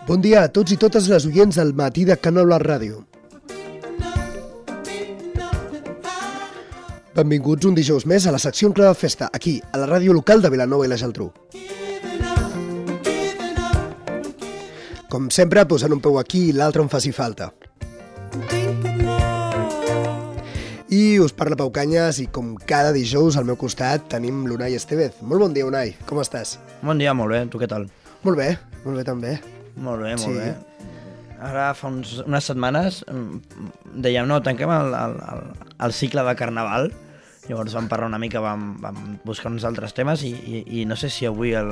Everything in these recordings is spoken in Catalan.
Bon dia a tots i totes les oients del matí de Canal Ràdio. Benvinguts un dijous més a la secció En Clau de Festa, aquí, a la ràdio local de Vilanova i la Geltrú. Com sempre, posant un peu aquí i l'altre on faci falta. I us parla Pau Canyes i com cada dijous al meu costat tenim l'Unai Estevez. Molt bon dia, Unai, com estàs? Bon dia, molt bé, tu què tal? Molt bé també. Molt bé, molt bé. Ara fa unes setmanes dèiem, no, tanquem el cicle de Carnaval, llavors vam parlar una mica, vam buscar uns altres temes i no sé si avui el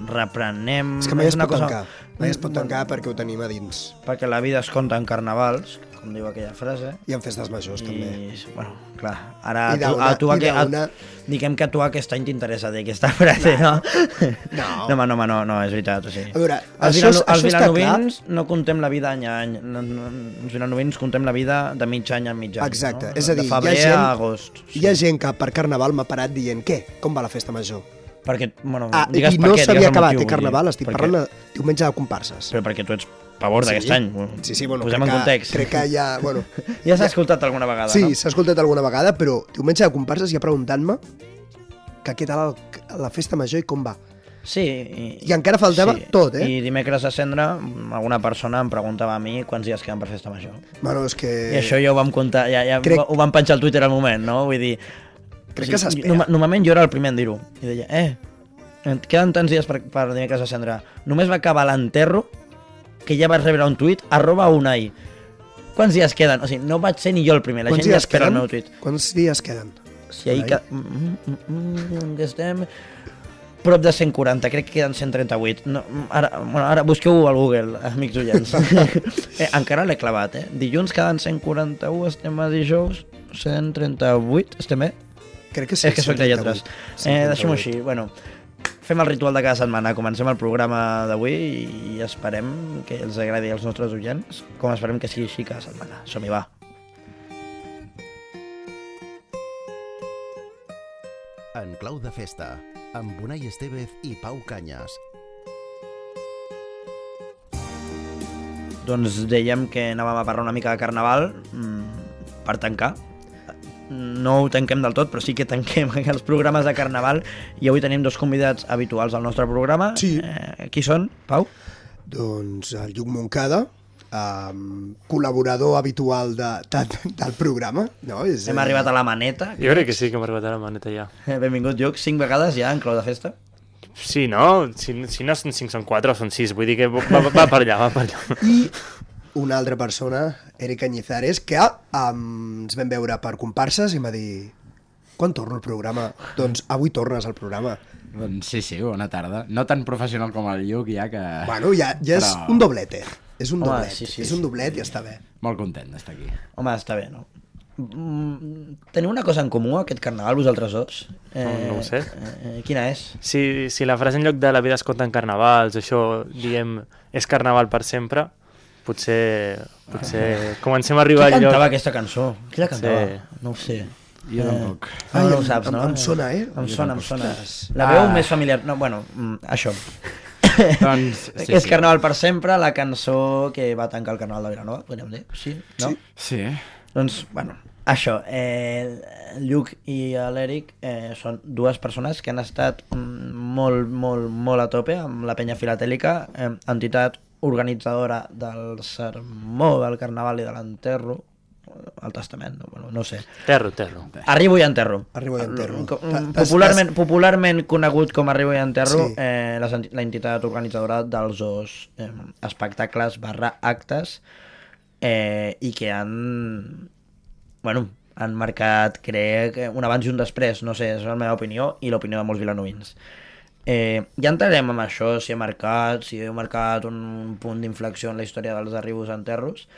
reprenem... És que mai es pot tancar, mai es pot tancar perquè ho tenim a dins. Perquè la vida es conta en carnavals, com diu aquella frase. I en festes majors, també. Bueno, clar, ara diguem que a tu aquest any t'interessa dir aquesta frase, no? No, és veritat. O sigui. A veure, els vilanovins no contem la vida any a any, els vilanovins contem la vida de mig any a mig any. Exacte, no? És a dir, de febrer a agost. Hi ha gent que per Carnaval m'ha parat dient, què? Com va la festa major? Perquè, bueno, digues per què, no s'havia acabat, Carnaval, estic parlant de diumenge de comparses. Però perquè tu ets pavor d'aquest any. Sí, bueno, posem en context. Crec que ja... Bueno, ja s'ha escoltat alguna vegada, sí, no? Sí, s'ha escoltat alguna vegada, però diumenge de comparses ja preguntant-me que què tal la festa major i com va. Sí. I encara faltava tot, eh? I dimecres a Cendra, alguna persona em preguntava a mi quants dies queden per festa major. Bueno, és que... I això ja ho vam comptar, ho vam penjar al Twitter al moment, no? Vull dir... Crec que s'espera. Normalment jo era el primer en dir-ho. I deia, queden tants dies per dimecres a Cendra. Només va acabar l'enterro que ja vaig rebre un tuit, @Unai. Quants dies queden? O sigui, no vaig ser ni jo el primer, la gent ja espera el meu tuit. Quants dies queden? Si ahir que estem prop de 140, crec que queden 138. No, ara busqueu al Google, amics oients. Encara l'he clavat, Dilluns queden 141, estem a dijous, 138, estem bé? Crec que sí. És que soc de lletres. Deixem-ho així, bueno... Fem el ritual de cada setmana, comencem el programa d'avui i esperem que els agradi als nostres oients, com esperem que sigui així cada setmana. Som-hi, va! En Clau de Festa, amb Unai Estevez i Pau Canyes. Doncs dèiem que anàvem a parlar una mica de Carnaval per tancar. No ho tanquem del tot, però sí que tanquem els programes de Carnaval i avui tenim dos convidats habituals al nostre programa. Sí. Qui són, Pau? Doncs el Lluc Moncada, col·laborador habitual del programa. No? Hem arribat a la maneta. Jo crec que sí que hem arribat a la maneta ja. Benvingut, Lluc. 5 vegades ja en Clau de Festa? Sí, no? Si no són 5, són 4 o són 6. Vull dir que va per allà, I una altra persona, Eric Cañizares, que ens vam veure per comparses i em va dir: quan torno al programa? Doncs avui tornes al programa. Doncs sí, bona tarda. No tan professional com el Lluc, ja que... Bueno, ja és un doblete. És un doblet. Sí, és un doblet i està bé. Molt content d'estar aquí. Home, està bé, no? Teniu una cosa en comú aquest Carnaval, vosaltres dos? No ho sé. Quina és? Si la frase en lloc de la vida es compta en carnavals, això, diguem, és Carnaval per sempre, potser comencem a arribar al lloc... Qui cantava aquesta cançó? Qui la cantava? No ho sé. Jo tampoc. No ho saps, no? Em sona, Em sona. La veu més familiar... No, bueno, això. Doncs, és Carnaval per sempre, la cançó que va tancar el Carnaval de Vilanova, podríem dir? Sí? No? Sí. Doncs, bueno, això. El Lluc i l'Eric són dues persones que han estat molt a tope amb la Penya Filatèlica, entitat organitzadora del sermó del Carnaval i de l'enterro, el testament, no sé. Terro. Arribo i enterro. Popularment conegut com Arribo i enterro, la entitat organitzadora dels dos espectacles /actes i que han marcat, crec, un abans i un després, no sé, és la meva opinió i l'opinió de molts vilanovins. Ja entrarem amb això, si heu marcat un punt d'inflexió en la història dels arribos a enterros,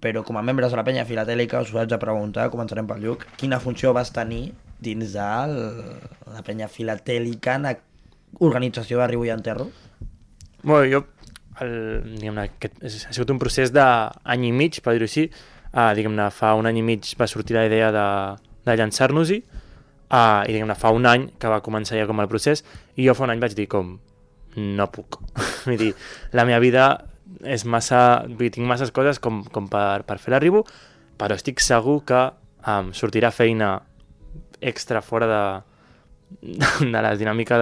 però com a membres de la Penya Filatèlica us vaig a preguntar, començarem pel Lluc, quina funció vas tenir dins de la Penya Filatèlica en organització d'arribo i enterro? Bueno, jo, ha sigut un procés d'any i mig, per dir-ho així. Diguem-ne, fa un any i mig va sortir la idea de llançar-nos-hi, i diguem-ne, fa un any que va començar ja com el procés, i jo fa un any vaig dir com, no puc. Vull dir, la meva vida és massa... Vull dir, tinc masses coses com per fer l'arribo, però estic segur que sortirà feina extra fora de la dinàmica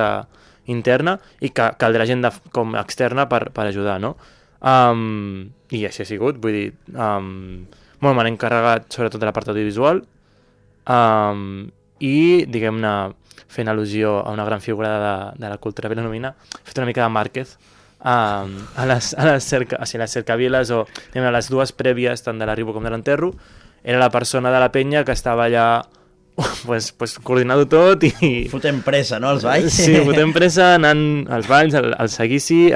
interna i que caldrà gent com externa per ajudar, no? I així ha sigut, vull dir... Bueno, m'han encarregat sobretot de la part audiovisual i, diguem-ne, fent al·lusió a una gran figura de la cultura vilanovina, he fet una mica de Márquez a les cercaviles o a les dues prèvies, tant de l'arribo com de l'enterro. Era la persona de la penya que estava allà pues, coordinant-ho tot i... Fotent pressa, no, els balls? Sí, fotent pressa, anant als balls, al seguici,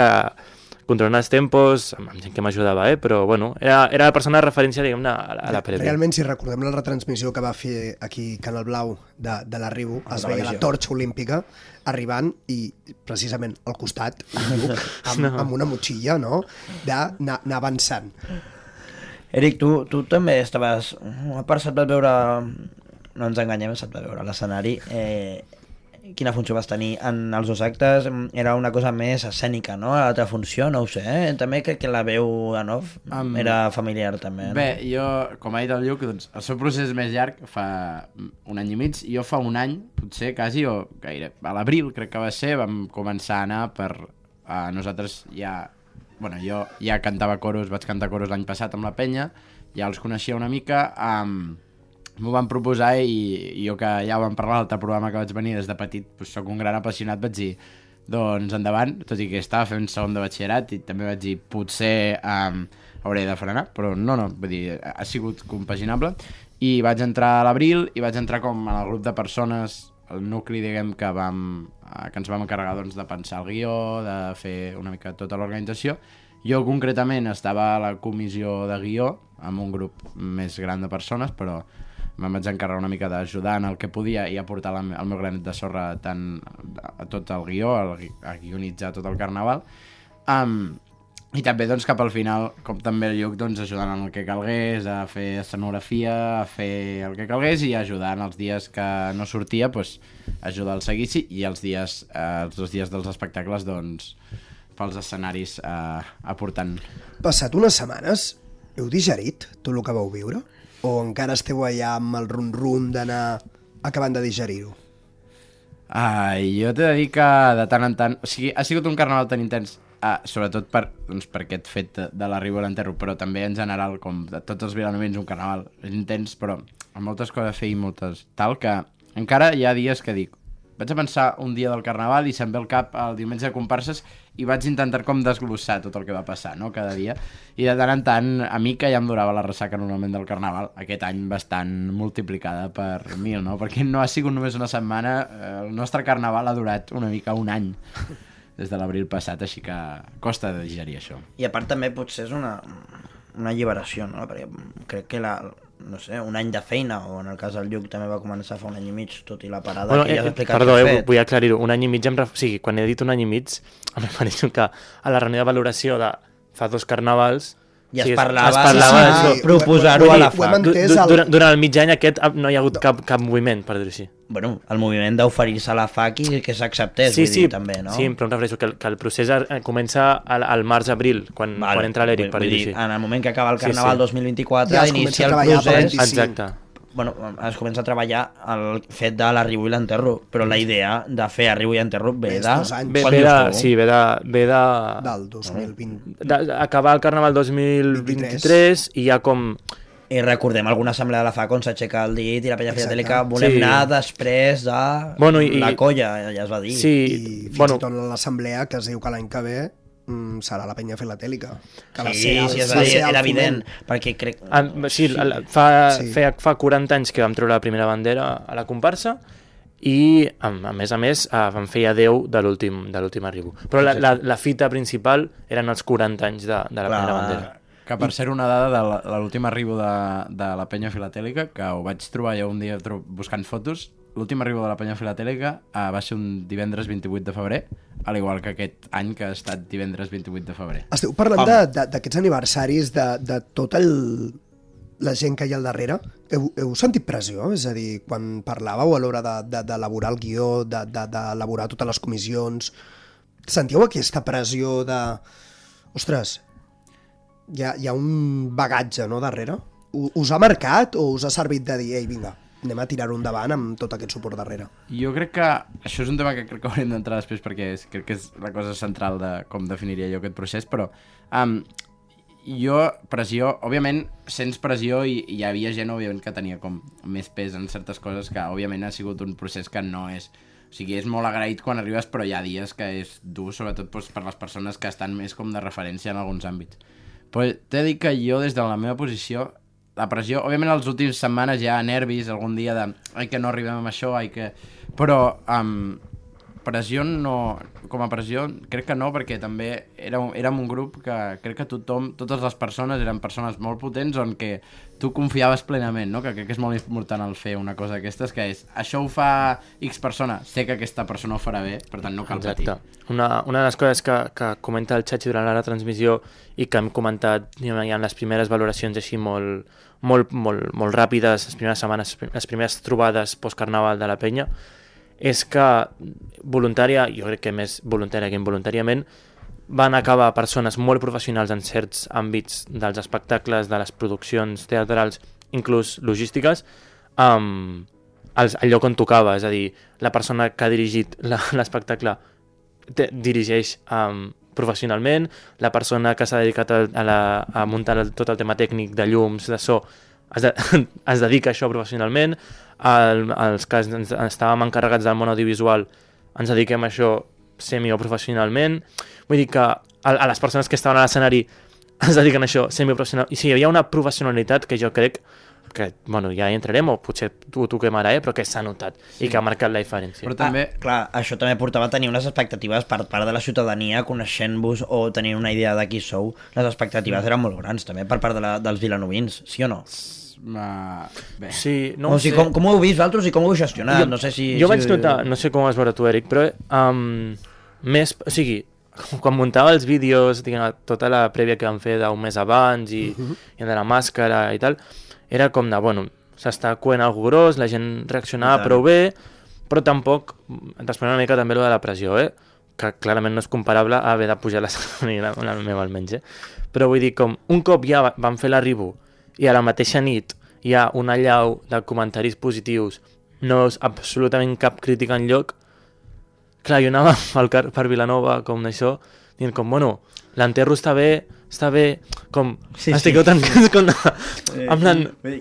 controlant els tempos, amb gent que m'ajudava, però bueno, era la persona de referència, diguem-ne, a la prèvia. Realment, si recordem la retransmissió que va fer aquí Canal Blau de l'arribo, es veia la torxa olímpica arribant i precisament al costat amb una motxilla, no?, d'anar avançant. Eric, tu també estaves... A part, se't va veure... No ens enganyem, se't va veure a l'escenari. Quina funció vas tenir en els dos actes? Era una cosa més escènica, no? L'altra funció, no ho sé, també crec que la veu en off era familiar també, no? Bé, jo, com ha dit el Lluc, doncs, el seu procés és més llarg, fa un any i mig, jo fa un any, potser, quasi, o gaire, a l'abril crec que va ser, vam començar a anar per... nosaltres ja... Bueno, jo ja cantava coros, vaig cantar coros l'any passat amb la penya, ja els coneixia una mica, m'ho van proposar i jo que ja ho vam parlar a l'altre programa que vaig venir des de petit, doncs soc un gran apassionat, vaig dir, doncs endavant, tot i que estava fent segon de batxillerat i també vaig dir, potser hauré de frenar, però no, vull dir, ha sigut compaginable i vaig entrar a l'abril i vaig entrar com en el grup de persones, el nucli, diguem, que ens vam encarregar doncs, de pensar el guió, de fer una mica tota l'organització. Jo concretament estava a la comissió de guió amb un grup més gran de persones, però me'n vaig encarregar una mica d'ajudar en el que podia i aportar el meu granet de sorra tant a tot el guió, a guionitzar tot el carnaval. I també doncs, cap al final, com també el Lluc, doncs, ajudant en el que calgués, a fer escenografia, a fer el que calgués i ajudar en els dies que no sortia, doncs, ajudar al seguici i els 2 dies dels espectacles, doncs, pels escenaris aportant. Passat unes setmanes, heu digerit tot el que vau viure? O encara esteu allà amb el rum-rum d'anar acabant de digerir-ho? Jo t'he de dir que de tant en tant... O sigui, ha sigut un carnaval tan intens, sobretot per aquest fet de l'arribo a l'enterro, però també en general, com de tots els vilanovins, un carnaval és intens, però amb moltes coses a fer i moltes tal, que encara hi ha dies que dic, vaig a pensar un dia del carnaval i se'm ve al cap el diumenge de comparses i vaig intentar com desglossar tot el que va passar, no?, cada dia, i de tant en tant a mi que ja em durava la ressaca normalment del carnaval, aquest any bastant multiplicada per 1000, no?, perquè no ha sigut només una setmana, el nostre carnaval ha durat una mica un any des de l'abril passat, així que costa de digerir això. I a part també potser és una alliberació, no?, perquè crec que no sé, un any de feina, o en el cas del Lluc també va començar fa un any i mig, tot i la parada que ja has explicat. Perdó, vull aclarir-ho, un any i mig, o sigui, quan he dit un any i mig, em refereixo que a la reunió de valoració de fa 2 carnavals ja es parlava proposar-ho a la FAC. Durant el mig any aquest no hi ha hagut cap moviment, per dir-ho així. Bueno, el moviment d'oferir-se a la FAC i que s'acceptés, vull dir, també, no? Sí, però em refereixo que el procés comença al març-abril, quan entra l'Eric, per dir-ho així. En el moment que acaba el Carnaval 2024, inicia el procés... Exacte. Bueno, es comença a treballar el fet de l'arribo i l'enterro, però la idea de fer arribo i enterro ve de... Ve de... Del 2020. Acabar el Carnaval 2023 i ja com... I recordem alguna assemblea de la FAC on s'aixeca el dit i la penya filatèlica volem anar després de la colla, ja es va dir. I fins i tot l'assemblea que es diu que l'any que ve serà la penya filatèlica. Era evident, perquè crec... Fa 40 anys que vam treure la primera bandera a la comparsa i, a més, vam fer ja 10 de l'últim arribo. Però la fita principal eren els 40 anys de la primera bandera. Que per ser una dada de l'últim arribo de la penya filatèlica, que ho vaig trobar jo un dia buscant fotos, l'últim arribo de la penya filatèlica va ser un divendres 28 de febrer, al igual que aquest any que ha estat divendres 28 de febrer. Esteu parlant d'aquests aniversaris, de tota la gent que hi ha al darrere. Heu sentit pressió? És a dir, quan parlàveu a l'hora d'elaborar el guió, d'elaborar totes les comissions, sentíeu aquesta pressió de... Ostres, hi ha un bagatge, no, darrere? Us ha marcat o us ha servit de dir, ei, vinga, anem a tirar-ho endavant amb tot aquest suport darrere? Jo crec que això és un tema que crec que haurem d'entrar després perquè crec que és la cosa central de com definiria jo aquest procés, però pressió, òbviament, sents pressió i hi havia gent, òbviament, que tenia com més pes en certes coses que, òbviament, ha sigut un procés que no és... O sigui, és molt agraït quan arribes, però hi ha dies que és dur, sobretot per les persones que estan més com de referència en alguns àmbits. Però t'he dit que jo, des de la meva posició, la pressió, òbviament, les últimes setmanes hi ha nervis, algun dia de ai, que no arribem amb això, ai, que... Però pressió no... Com a pressió, crec que no, perquè també érem un grup que crec que totes les persones eren persones molt potents on que tu confiaves plenament, no? Que crec que és molt important el fer una cosa d'aquestes, que és, això ho fa X persona, sé que aquesta persona ho farà bé, per tant no cal patir. Una de les coses que comenta el Chachi durant la transmissió i que hem comentat ja en les primeres valoracions així molt ràpides, les primeres setmanes, les primeres trobades post-carnaval de la penya, és que voluntària, jo crec que més voluntària que involuntàriament, van acabar persones molt professionals en certs àmbits dels espectacles, de les produccions teatrals, inclús logístiques, al lloc on tocava. És a dir, la persona que ha dirigit l'espectacle dirigeix professionalment, la persona que s'ha dedicat a muntar tot el tema tècnic de llums, de so, es dedica a això professionalment, els que estàvem encarregats del món audiovisual ens dediquem a això semi-professionalment. Vull dir que a les persones que estaven a l'escenari es dediquen a això semi-professional. I sí, hi havia una professionalitat que jo crec que, bueno, ja hi entrarem, o potser ho toquem ara, però que s'ha notat i que ha marcat la diferència. Però també... clar, això també portava a tenir unes expectatives per part de la ciutadania, coneixent-vos o tenint una idea de qui sou. Les expectatives eren molt grans, també, per part dels vilanovins, sí o no? Bé. Sí, no o sigui, com ho heu vist vosaltres i com ho heu gestionat? No sé si... Jo vaig notar, no sé com vas veure tu, Eric, però més, o sigui, quan muntava els vídeos, diguem, tota la prèvia que vam fer d'un mes abans i de la màscara i tal, era com de, bueno, s'està coent algú gros, la gent reaccionava prou bé, però tampoc, responent una mica també allò de la pressió, que clarament no és comparable a haver de pujar la meva almenys, però vull dir, com un cop ja vam fer l'arribo i a la mateixa nit hi ha una allau de comentaris positius, no és absolutament cap crítica enlloc, clar, jo anava per Vilanova com d'això, dient com, bueno, l'enterro està bé, com, estigueu tancats com...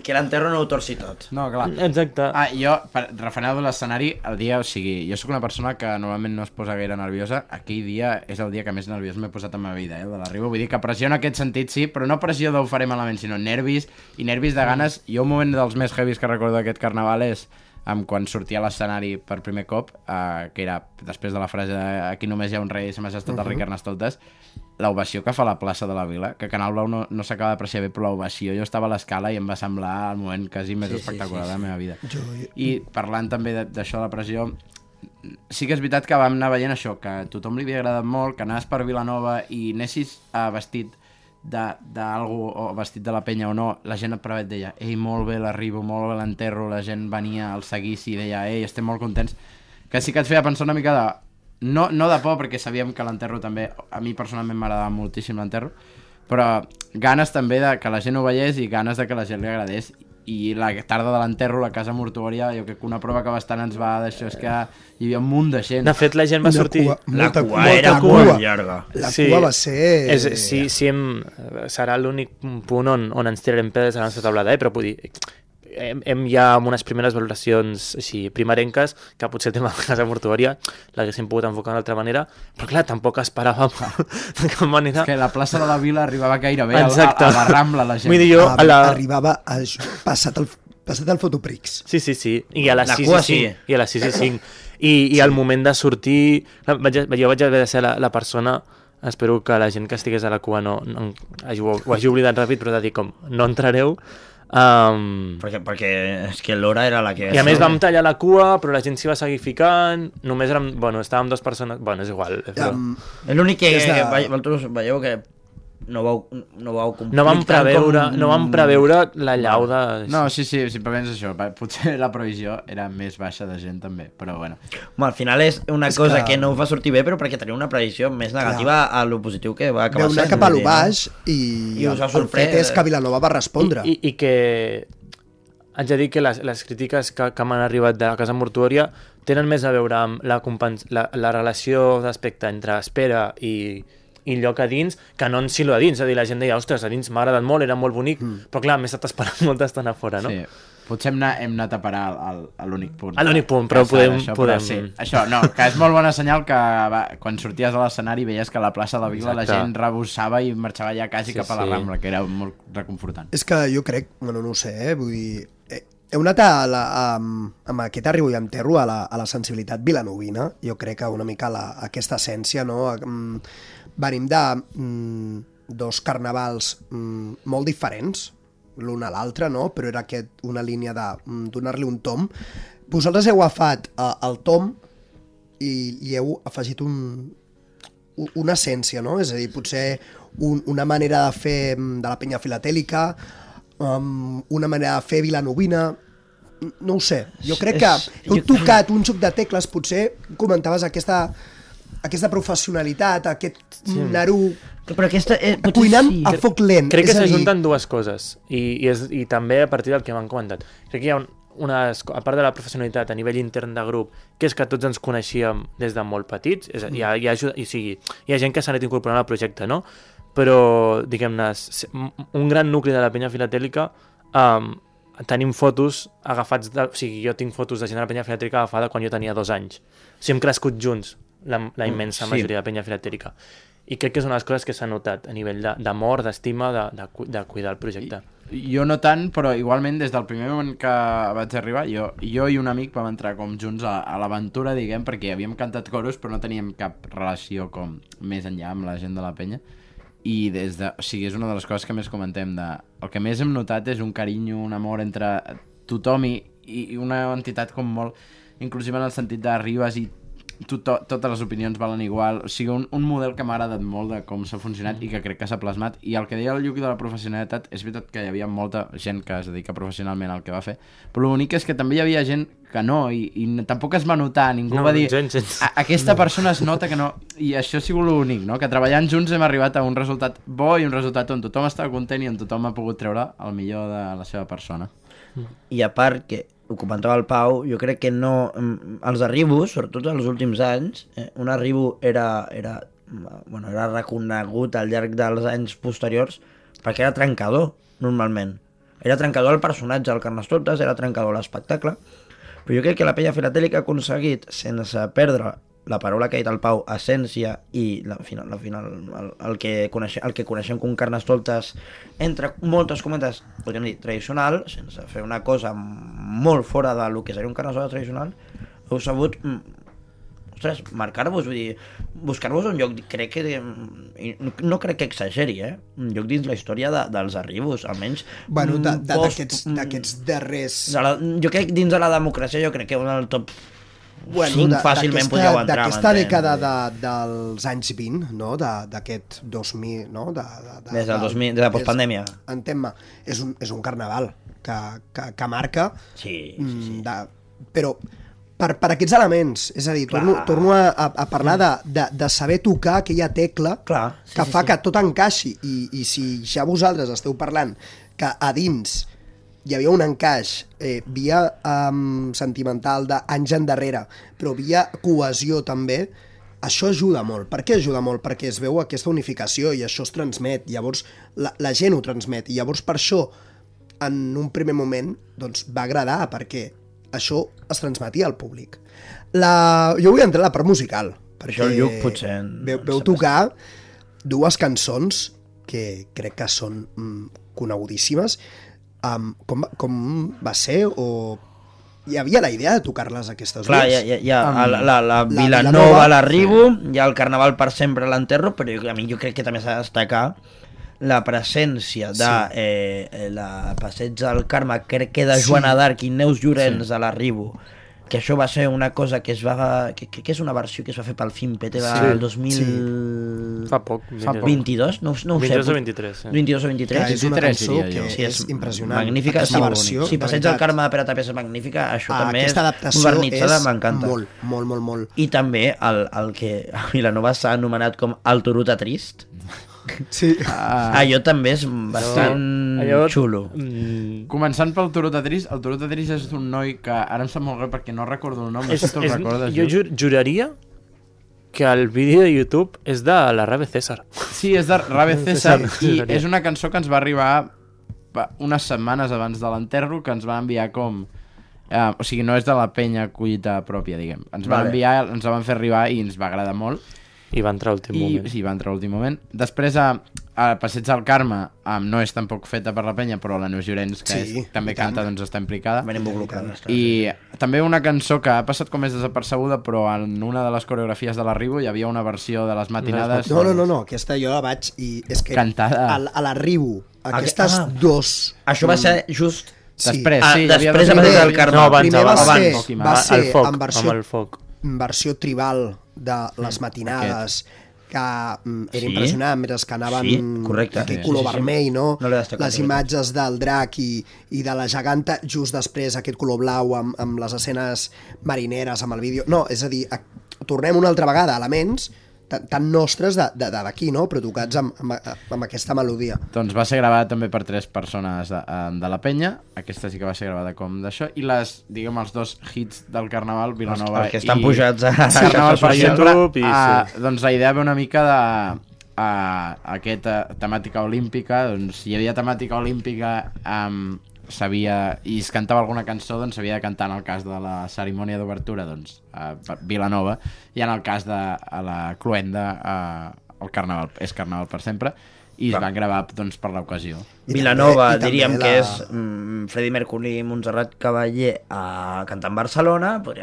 Que l'enterro no ho torci tot. No, clar. Exacte. Jo, referent a l'escenari, el dia, o sigui, jo sóc una persona que normalment no es posa gaire nerviosa, aquell dia és el dia que més nerviós m'he posat en la meva vida, el de l'arribo, vull dir que pressió en aquest sentit sí, però no pressió d'ho faré malament, sinó nervis, i nervis de ganes. Jo un moment dels més heavies que recordo d'aquest carnaval és quan sortia a l'escenari per primer cop, que era després de la frase de aquí només hi ha un rei, s'ha estat el rei Carnestoltes, l'ovació que fa la plaça de la Vila, que Canal Blau no s'acaba d'apreciar bé, però l'ovació, jo estava a l'escala i em va semblar el moment quasi més espectacular de la meva vida. I parlant també d'això de la pressió, sí que és veritat que vam anar veient això, que a tothom li havia agradat molt, que anaves per Vilanova i anessis vestit d'algú o vestit de la penya o no, la gent et deia, ei, molt bé l'arribo, molt bé l'enterro, la gent venia al seguici i deia, ei, estem molt contents, que sí que et feia pensar una mica de... No de por, perquè sabíem que l'enterro també, a mi personalment m'agradava moltíssim l'enterro, però ganes també de que la gent ho veiés i ganes de que la gent li agradés. I la tarda de l'enterro, la casa mortuòria, jo crec que una prova que bastant ens va d'això és que hi havia un munt de gent. De fet, la gent va sortir... La cua era molt llarga. La cua va ser... Serà l'únic punt on ens tirarem pedres a la nostra taulada, però vull dir... Hem ja amb unes primeres valoracions així primerenques, que potser el tema de casa mortuòria l'haguéssim pogut enfocar d'una altra manera, però clar, tampoc esperàvem de cap manera. És que la plaça de la Vila arribava gairebé a la Rambla, la gent. Vull dir, jo, arribava passat el Fotoprix. Sí. I a les 6 i 5. I al moment de sortir... Jo vaig haver de ser la persona... Espero que la gent que estigués a la cua ho hagi oblidat ràpid, però de dir com, no entrareu... Perquè és que l'hora era la que... I a més vam tallar la cua, però la gent s'hi va seguir ficant, només érem... Bueno, estàvem 2 persones... Bueno, és igual. L'únic que vosaltres veieu que no vau conflictar no vam preveure la llau de... No, sí, simplement és això. Potser la previsió era més baixa de gent també, però bueno. Al final és una cosa que no ho fa sortir bé, però perquè tenia una previsió més negativa a lo positiu que va acabar sent. Veu anar cap a lo baix i us ha el fet és que Vilanova va respondre. I que haig de dir que les crítiques que m'han arribat de la Casa Mortuòria tenen més a veure amb la relació d'aspecte entre espera i lloc a dins, que no en silo a dins. És a dir, la gent deia, ostres, a dins m'ha agradat molt, era molt bonic, però clar, m'he estat esperant molta estona fora, no? Sí. Potser hem anat a parar a l'únic punt. A l'únic punt, però podem... Sí. Això, no, que és molt bona senyal que quan sorties a l'escenari veies que a la plaça de la Vila la gent rebossava i marxava ja quasi cap a la Rambla, que era molt reconfortant. És que jo crec, bueno, no ho sé, vull dir... He anat amb aquest arribo i enterro a la sensibilitat vilanovina. Jo crec que una mica aquesta essència, no? Venim de dos carnavals molt diferents, l'un a l'altre, no? Però era una línia de donar-li un tom. Vosaltres heu agafat el tom i heu afegit una essència, no? És a dir, potser una manera de fer de la penya filatèlica, una manera de fer vilanovina, no ho sé. Jo crec que heu tocat un joc de tecles, potser comentaves aquesta professionalitat, aquest naro cuinant a foc lent. Crec que s'ajunten dues coses i també a partir del que m'han comentat. Crec que hi ha a part de la professionalitat a nivell intern de grup, que és que tots ens coneixíem des de molt petits, hi ha gent que s'ha anat incorporant al projecte, no? Però, diguem-ne, un gran nucli de la penya filatèlica, tenim fotos agafats, o sigui, jo tinc fotos de gent de la penya filatèlica agafada quan jo tenia 2 anys. O sigui, hem crescut junts, la immensa majoria de penya filatèlica. I crec que és una de les coses que s'ha notat a nivell d'amor, d'estima, de cuidar el projecte. Jo no tant, però igualment des del primer moment que vaig arribar, jo i un amic vam entrar com junts a l'aventura, diguem, perquè havíem cantat coros però no teníem cap relació com més enllà amb la gent de la penya. I o sigui, és una de les coses que més comentem el que més hem notat és un carinyo, un amor entre tothom i una entitat com molt inclusiva en el sentit d'arribes i totes les opinions valen igual, o sigui, un model que m'ha agradat molt de com s'ha funcionat i que crec que s'ha plasmat. I el que deia el Lluc de la professionalitat, és veritat que hi havia molta gent que es dedica professionalment al que va fer, però l'únic és que també hi havia gent que no, i tampoc es va notar, ningú va dir aquesta persona es nota que no, i això ha sigut l'únic, no? Que treballant junts hem arribat a un resultat bo i un resultat on tothom estava content i on tothom ha pogut treure el millor de la seva persona. I a part que ho comentava el Pau, jo crec que no... Els arribos, sobretot els últims anys, un arribo era reconegut al llarg dels anys posteriors perquè era trencador, normalment. Era trencador el personatge, el Carnestoltes, era trencador l'espectacle, però jo crec que la penya filatèlica ha aconseguit, sense perdre la paraula que ha dit el Pau, essència, i al final el que coneixem com Carnestoltes, entre moltes cometes, podríem dir tradicional, sense fer una cosa molt fora del que seria un Carnestoltes tradicional, heu sabut marcar-vos, vull dir, buscar-vos un lloc, crec que no crec que exageri, un lloc dins la història dels arribos, almenys bueno, d'aquests darrers... Jo crec dins de la democràcia, jo crec que un del top 5 fàcilment podríeu entrar. D'aquesta dècada dels anys 20, no? D'aquest 2000, no? Des del 2000, des de postpandèmia. Entén-me, és un carnaval que marca, sí. Però per aquests elements, és a dir, torno a parlar de saber tocar aquella tecla que fa que tot encaixi, i si ja vosaltres esteu parlant que a dins hi havia un encaix via sentimental d'anys endarrere, però via cohesió també, això ajuda molt. Per què ajuda molt? Perquè es veu aquesta unificació i això es transmet, llavors la gent ho transmet, i llavors per això en un primer moment doncs, va agradar, perquè això es transmetia al públic. Jo vull entrar a la part musical, perquè el Lluc potser veu tocar dues cançons que crec que són conegudíssimes. Com va ser? O hi havia la idea de tocar-les aquestes dues? Clar, hi ha la Vilanova, l'arribo, hi ha el Carnaval per sempre, l'enterro, però a mi jo crec que també s'ha de destacar la presència de la Passeig del Carme, crec que de Joana d'Arc i Neus Llorenç a l'arribo, que això va ser una cosa que es va... que és una versió que es va fer pel Fimpete del 2000... Fa poc. 22? No ho sé. 22 o 23. 22 o 23. Que és una 23, cançó diria jo. que és impressionant. Magnífica. Aquesta versió, Si de Passeig del veritat. Carme de Pere Tapés és magnífica, això també és Aquesta adaptació modernitzada, és m'encanta. molt. I també el que a Vilanova s'ha anomenat com el Turuta Trist. Sí. Allò també és bastant xulo. Començant pel Turuta Trist, el Turuta Trist és un noi que ara em sap molt greu perquè no recordo el nom, no sé si te'l recordes. Jo juraria que el vídeo de YouTube és de la Rave César. Sí, és de Rave César i César. és una cançó que ens va arribar unes setmanes abans de l'enterro, que ens va enviar com... o sigui, no és de la penya collita pròpia, diguem. Ens va enviar, ens la van fer arribar i ens va agradar molt. I va entrar a l'últim moment. Sí, va entrar a l'últim moment. Després, a Passeig del Carme, no és tampoc feta per la penya, però la Neus Llorenç, que també canta, doncs està implicada. Ben involucrada. I també una cançó que ha passat com més desapercebuda, però en una de les coreografies de l'Arribo hi havia una versió de les matinades... No, aquesta jo la vaig i és que cantada. A l'Arribo, aquestes dos... Això va ser just... Després, sí. Després a Passeig del Carme. Primer va ser amb en el foc. versió tribal de les matinades, que era impressionant, mentre que anaven aquell color vermell, no? Les imatges del drac i de la geganta, just després aquest color blau amb les escenes marineres, amb el vídeo... No, és a dir, tornem una altra vegada a elements tan nostres d'aquí, no? Però tocats amb aquesta melodia. Doncs va ser gravat també per 3 persones de la penya, aquesta sí que va ser gravada com d'això, i diguem, els 2 hits del Carnaval, Vilanova els que estan pujats a Carnaval per YouTube. Doncs la idea ve una mica de aquesta temàtica olímpica, doncs si hi havia temàtica olímpica i es cantava alguna cançó, doncs s'havia de cantar en el cas de la cerimònia d'obertura, doncs a Vilanova, i en el cas de la Cluenda el Carnaval és Carnaval per sempre, i es van gravar doncs, per l'ocasió. Vilanova, diríem que és Freddie Mercury i Montserrat Cavaller cantant Barcelona, vull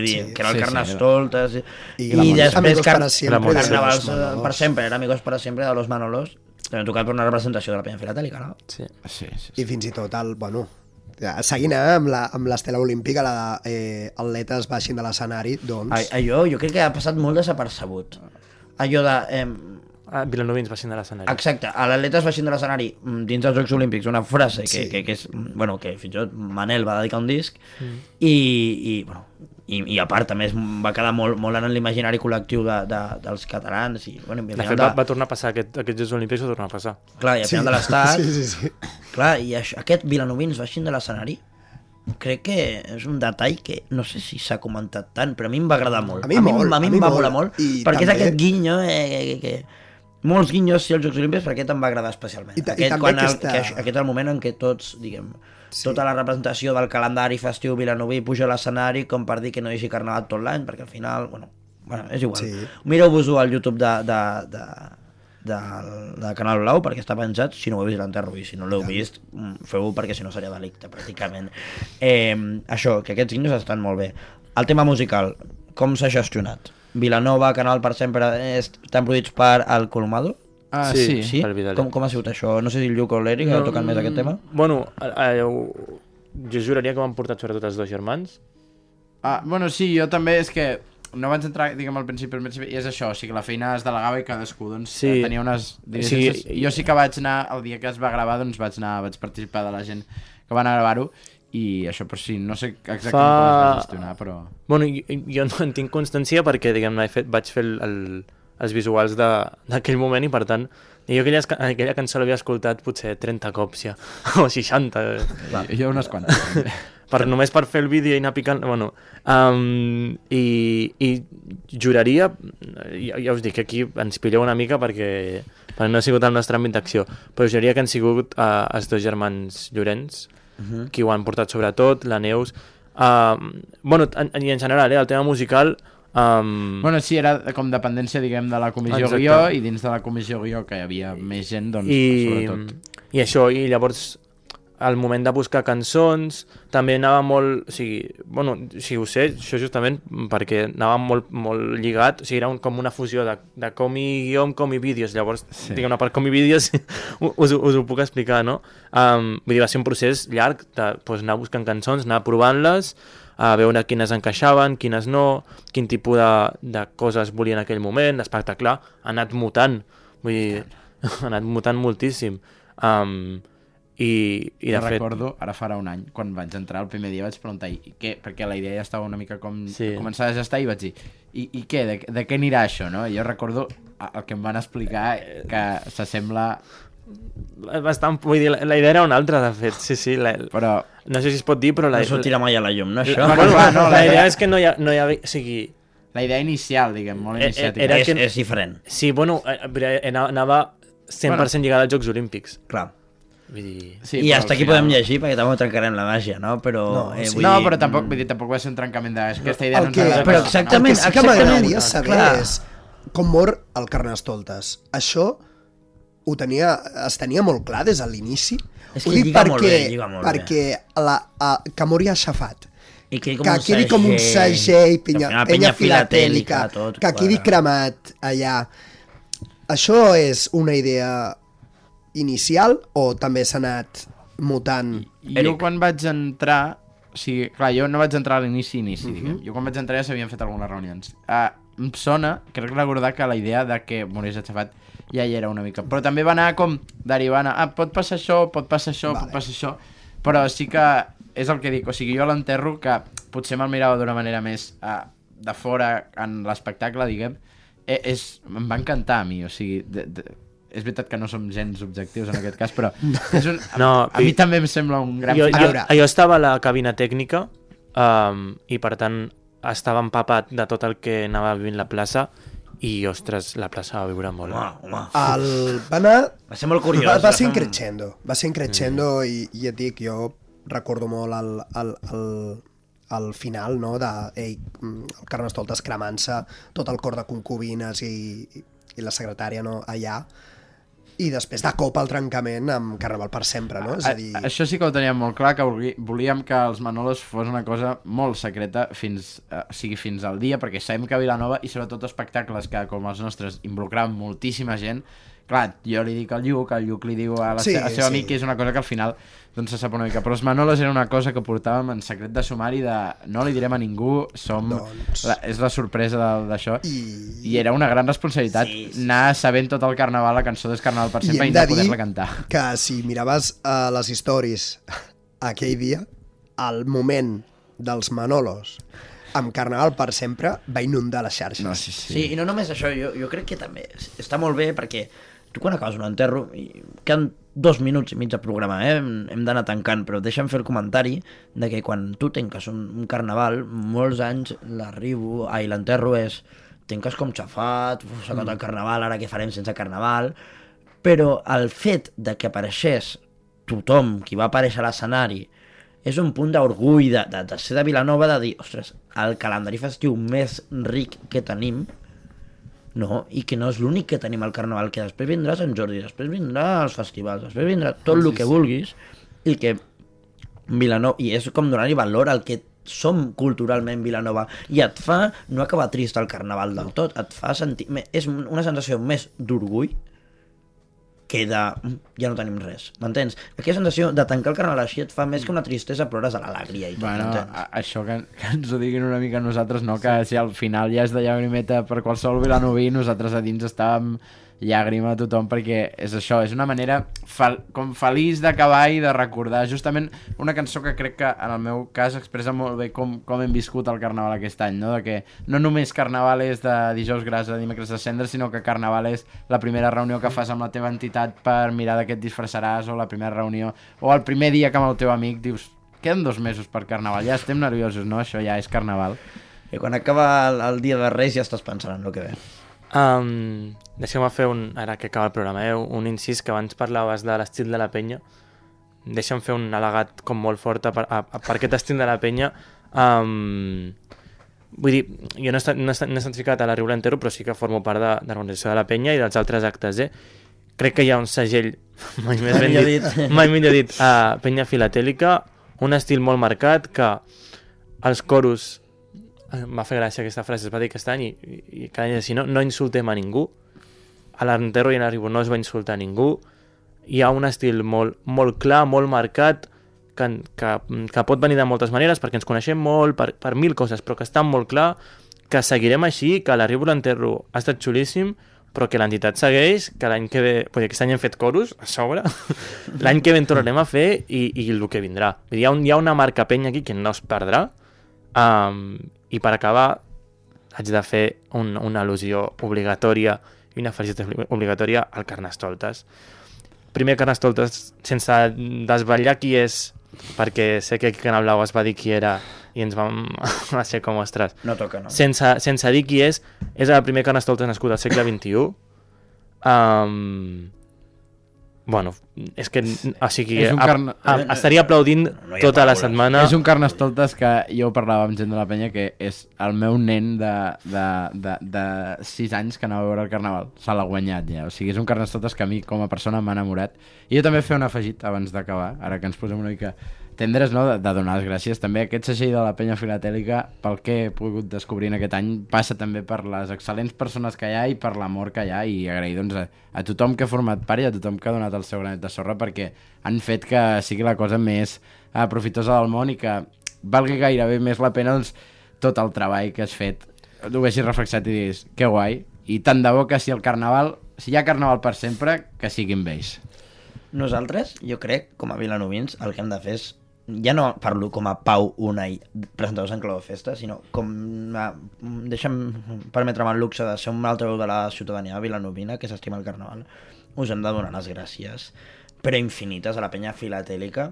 dir, que era el Carnestoltes, i després Carnavals per sempre, era Amigos para siempre de los Manolos, també tocat per una representació de la penya filatèlica, no? Sí. I fins i tot seguint amb l'estela olímpica, la atletes baixin de l'escenari, doncs... Jo crec que ha passat molt desapercebut. Allò de... Vilanovins baixin de l'escenari. Exacte, a l'atletes baixin de l'escenari dins dels Jocs Olímpics, una frase que és... Bueno, que fins i tot Manel va dedicar un disc i a part també va quedar molt en l'imaginari col·lectiu dels catalans i, bueno, de fet va tornar a passar aquests Jocs Olímpics, va tornar a passar clar, i al final de l'estat sí. Clar, i aquest Vilanovins baixin de l'escenari crec que és un detall que no sé si s'ha comentat tant, però a mi em va agradar molt. A mi em va molar molt perquè és aquest guinyo que molts guinyos als Jocs Olímpics, però aquest em va agradar especialment. Aquest és el moment en què tots, diguem, tota la representació del calendari festiu vilanoví puja a l'escenari com per dir que no hi hagi carnaval tot l'any, perquè al final, bueno, és igual. Mireu-vos-ho al YouTube de Canal Blau perquè està penjat, si no ho heu vist l'enterro, i si no l'heu vist feu-ho perquè si no seria delicte pràcticament. Això, que aquests guinyos estan molt bé. El tema musical, com s'ha gestionat? Vilanova, Canal per sempre, estan produïts per El Colomado? Sí? Com ha sigut això? No sé si el Lluc o l'Eric han tocat més aquest tema. Bueno, jo juraria que m'han portat sobretot els 2 germans. Bueno, sí, jo també, és que no vaig entrar, diguem, al principi, i és això, o sigui, la feina es delegava i cadascú doncs, tenia unes diligències. Jo sí que vaig anar, el dia que es va gravar, doncs vaig participar de la gent que van a gravar-ho, i això, però sí, no sé exactament com es va gestionar, però... Bueno, jo no en tinc constància perquè, diguem, vaig fer els visuals d'aquell moment i, per tant, jo aquella cançó l'havia escoltat potser 30 cops ja, o 60. Jo unes quantes. Només per fer el vídeo i anar picant... Bueno, i juraria, ja us dic que aquí ens pilleu una mica perquè no ha sigut el nostre àmbit d'acció, però juraria que han sigut els 2 germans Llorenç, qui ho han portat sobretot, la Neus. Bueno, i en general, el tema musical... Bueno, sí, era com dependència, diguem, de la comissió guió, i dins de la comissió guió que hi havia més gent, doncs, sobretot. I això, i llavors al moment de buscar cançons també anava molt, o sigui, bueno, si ho sé, això justament perquè anava molt lligat, o sigui, era com una fusió de comi guió amb comi vídeos, llavors, diguem-ne, per comi vídeos us ho puc explicar, no? Vull dir, va ser un procés llarg de anar buscant cançons, anar provant-les, a veure quines encaixaven, quines no, quin tipus de coses volia en aquell moment, l'espectacle ha anat mutant, vull dir, ha anat mutant moltíssim. I de fet... Recordo, ara farà un any, quan vaig entrar el primer dia vaig preguntar què, perquè la idea ja estava una mica com començar a gestar, i vaig dir, i què, de què anirà això, no? I jo recordo el que em van explicar, que s'assembla... Bastant, vull dir, la idea era una altra, de fet, sí, però... No sé si es pot dir, però... No sortirà mai a la llum, no, això? Bueno, clar, no, la idea és que no hi ha... O sigui... La idea inicial, diguem, molt iniciàtica. És diferent. Sí, bueno, anava 100% lligada als Jocs Olímpics. Clar. Vull dir... Sí, i hasta aquí podem llegir, perquè tampoc trencarem la màgia, no? Però... però tampoc, vull dir, tampoc va ser un trencament aquesta idea. Però exactament, el que sí que m'agradaria saber és com mor el Carnestoltes. Això es tenia molt clar des de l'inici. És que lliga molt bé. Perquè que mori aixafat. I que quedi com un segell, penya filatèlica, que quedi cremat allà. Això és una idea inicial o també s'ha anat mutant? Jo quan vaig entrar... O sigui, clar, jo no vaig entrar a l'inici, diguem. Jo quan vaig entrar ja s'havien fet algunes reunions. Em sona, crec recordar que la idea de que morís aixafat ja hi era una mica. Però també va anar com derivant a pot passar això, pot passar això, pot passar això. Però sí que és el que dic. O sigui, jo l'enterro que potser me'l mirava d'una manera més de fora en l'espectacle, diguem. Em va encantar a mi, o sigui... És veritat que no som gens objectius en aquest cas, però és a mi també em sembla un gran... Jo estava a la cabina tècnica i per tant estava empapat de tot el que anava vivint la plaça i, ostres, la plaça va viure molt. Va ser molt curiós. Va ser increixendo i et dic, jo recordo molt al final, no, el Carnestoltes cremant-se, tot el cor de concubines i la secretària, no, allà, i després de cop el trencament amb Carnaval per sempre, no? És a dir... Això sí que ho teníem molt clar, que volíem que els Manolos fos una cosa molt secreta fins al dia, perquè sabem que a Vilanova, i sobretot espectacles que com els nostres involucraven moltíssima gent, clar, jo li dic al Lluc li diu a la seva amic, que és una cosa que al final doncs se sap una mica, però els Manolos era una cosa que portàvem en secret de sumari, de no li direm a ningú, és la sorpresa d'això, i era una gran responsabilitat anar sabent tot el Carnaval, la cançó del Carnaval per sempre, i no poder-la cantar. Que si miraves les stories aquell dia, el moment dels Manolos amb Carnaval per sempre va inundar les xarxes. Sí, i no només això, jo crec que també està molt bé, perquè tu quan acabes un enterro, queden 2 minuts i mig de programa, hem d'anar tancant, però deixa'm fer el comentari de que quan tu tanques un carnaval, molts anys l'enterro és tanques com xafat, s'ha acabat el carnaval, ara què farem sense carnaval, però el fet de que apareixés tothom qui va aparèixer a l'escenari és un punt d'orgull de ser de Vilanova, de dir, ostres, el calendari festiu més ric que tenim, no? I que no és l'únic que tenim al Carnaval, que després vindrà Sant Jordi, després vindrà els festivals, després vindrà tot el que vulguis, i que Vilanova, i és com donar-hi valor al que som culturalment Vilanova, i et fa no acabar trist el Carnaval del tot, et fa sentir, és una sensació més d'orgull que ja no tenim res, m'entens? Aquella sensació de tancar el Carnaval així et fa més que una tristesa, plores a l'alegria i tot, m'entens? Això que ens ho diguin una mica nosaltres, no? Que si al final ja és de llagrimeta per qualsevol vilanoví, nosaltres a dins estàvem llàgrima a tothom, perquè és això, és una manera com feliç d'acabar i de recordar justament una cançó que crec que en el meu cas expressa molt bé com hem viscut el Carnaval aquest any, no? De que no només Carnaval és de dijous gras a dimecres de cendra, sinó que Carnaval és la primera reunió que fas amb la teva entitat per mirar de què et disfressaràs, o la primera reunió, o el primer dia que amb el teu amic dius, queden 2 mesos per Carnaval, ja estem nerviosos, no? Això ja és Carnaval. I quan acaba el dia de Reis ja estàs pensant en el que ve. Deixeu-me fer ara que acaba el programa, un incís, que abans parlaves de l'estil de la penya. Deixa'm fer un al·legat com molt fort per aquest estil de la penya. Vull dir, jo no he estat ficat a la Riu l'Entero, però sí que formo part de l'organització de la penya i dels altres actes. Crec que hi ha un segell, mai millor dit, penya filatèlica, un estil molt marcat, que els coros... M'ha fet gràcia aquesta frase, es va dir aquest any i cada any així, no insultem a ningú, a l'enterro i a l'Arribo no es va insultar a ningú, hi ha un estil molt clar, molt marcat, que pot venir de moltes maneres, perquè ens coneixem molt, per 1000 coses, però que està molt clar que seguirem així, que l'arribo a l'enterro ha estat xulíssim, però que l'entitat segueix, que l'any que ve... Perquè aquest any hem fet coros, a sobre. L'any que ve en tornarem a fer i el que vindrà. Hi ha una marca penya aquí que no es perdrà. I per acabar, haig de fer una al·lusió obligatòria i una felicitació obligatòria al Carnestoltes. Primer Carnestoltes, sense desvetllar qui és, perquè sé que aquí a Canal Blau es va dir qui era i ens vam ser com ostres. No toca, no? Sense dir qui és el primer Carnestoltes nascut al segle XXI. Bueno, és que... O sigui, estaria aplaudint tota la setmana. És un Carnestoltes que jo parlava amb gent de la penya que és el meu nen de 6 anys que anava a veure el Carnaval. Se l'ha guanyat ja. O sigui, és un Carnestoltes que a mi com a persona m'ha enamorat. I jo també fer un afegit abans d'acabar, ara que ens posem una mica tendres, no? De donar les gràcies. També aquest segell de la penya filatèlica, pel que he pogut descobrir en aquest any, passa també per les excel·lents persones que hi ha i per l'amor que hi ha, i agrair doncs, a tothom que ha format part i a tothom que ha donat el seu granet de sorra, perquè han fet que sigui la cosa més profitosa del món i que valgui gairebé més la pena doncs, tot el treball que has fet, ho vegis reflexat i diguis, que guai, i tant de bo que si hi ha Carnaval per sempre, que siguin vells. Nosaltres, jo crec, com a vilanovins, el que hem de fer és, ja no parlo com a Pau Unai, presentadors en Clau de Festa, sinó com deixa'm permetre'm el luxe de ser un altre veu de la ciutadania vilanovina que s'estima el Carnaval. Us hem de donar les gràcies, però infinites, a la penya filatèlica,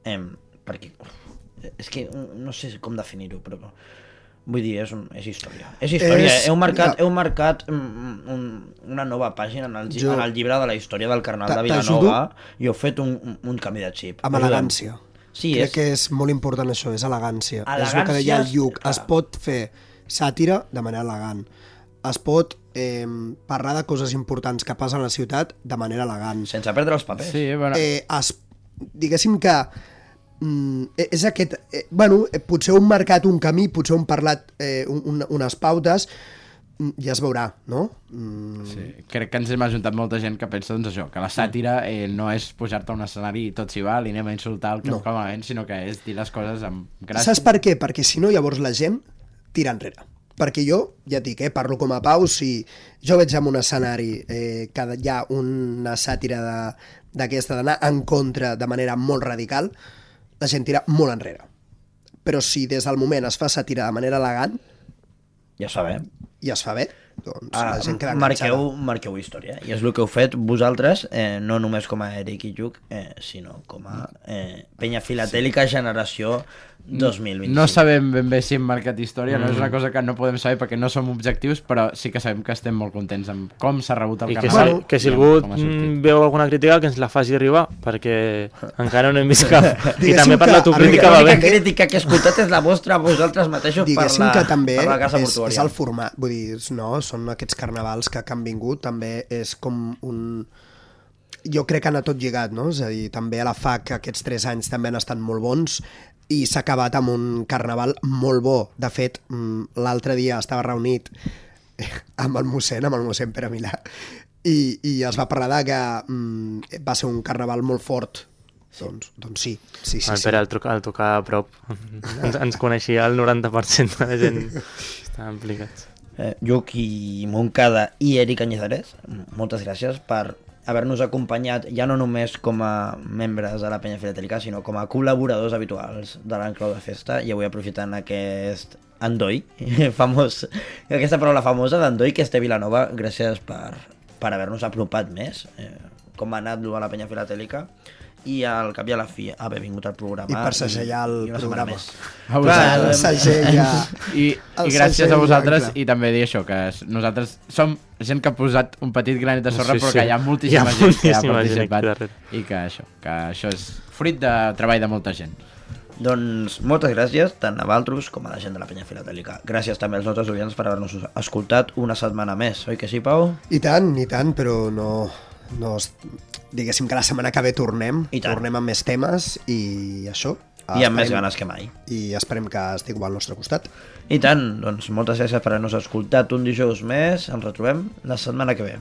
perquè és que no sé com definir-ho, però vull dir, és història. És història. Heu marcat una nova pàgina en el llibre de la història del Carnaval de Vilanova i heu fet un canvi de xip. Amb elegància. Sí, crec que és molt important això, és elegància. És el que deia el Lluc. Es pot fer sàtira de manera elegant. Es pot parlar de coses importants que passen a la ciutat de manera elegant. Sense perdre els papers. Sí, bueno. Diguéssim que és aquest... potser hem marcat un camí, potser hem parlat unes pautes, ja es veurà, no? Sí, crec que ens hem ajuntat molta gent que pensa doncs això, que la sàtira no és pujar-te a un escenari i tot s'hi val i anem a insultar el que malament, sinó que és dir les coses amb gràcia. Saps per què? Perquè si no, llavors la gent tira enrere. Perquè jo, ja et dic, parlo com a Pau, si jo veig en un escenari que hi ha una sàtira d'aquesta d'anar en contra de manera molt radical, la gent tira molt enrere. Però si des del moment es fa sàtira de manera elegant, ja sabem. I es fa bé, doncs la gent queda enganxada. Marqueu història, i és el que heu fet vosaltres, no només com a Eric i Lluc, sinó com a penya filatèlica generació 2025. No sabem ben bé si hem marcat història, no és una cosa que no podem saber perquè no som objectius, però sí que sabem que estem molt contents amb com s'ha rebut el Carnaval. Que si algú veu alguna crítica que ens la faci arribar, perquè encara no hem vist cap. I també per l'autocrítica va bé. La crítica que he escoltat és la vostra, vosaltres mateixos, per la casa portuària. És el format, vull dir, no, són aquests carnavals que han vingut, també és com un... Jo crec que han anat tot lligat, no? És a dir, també a la FAC aquests 3 anys també han estat molt bons i s'ha acabat amb un carnaval molt bo. De fet, l'altre dia estava reunit amb el mossèn Pere Milà, i es va parlar de que va ser un carnaval molt fort. Doncs sí. El Pere, al tocar a prop, ens coneixia el 90% de la gent que estava implicats. Lluc i Montcada i Eric Cañizares, moltes gràcies per haver-nos acompanyat ja no només com a membres de la penya filatèlica, sinó com a col·laboradors habituals de l'Enclau de Festa, i avui aprofitant aquest endoi famós, aquesta paraula famosa d'endoi que és té Vilanova, gràcies per haver-nos apropat més, com ha anat a la penya filatèlica, i al cap i a la fi haver vingut al programa i per segellar el programa i gràcies a vosaltres, i també dir això, que nosaltres som gent que ha posat un petit granet de sorra, però que hi ha moltíssima gent que ha participat i que això és fruit de treball de molta gent. Doncs moltes gràcies tant a Valtros com a la gent de la penya filatèlica. Gràcies també als nostres oients per haver-nos escoltat una setmana més, oi que sí, Pau? I tant, però no diguéssim que la setmana que ve tornem amb més temes i això. I amb més ganes que mai. I esperem que estigueu al nostre costat. I tant, doncs moltes gràcies per haver-nos escoltat un dijous més. Ens retrobem la setmana que ve.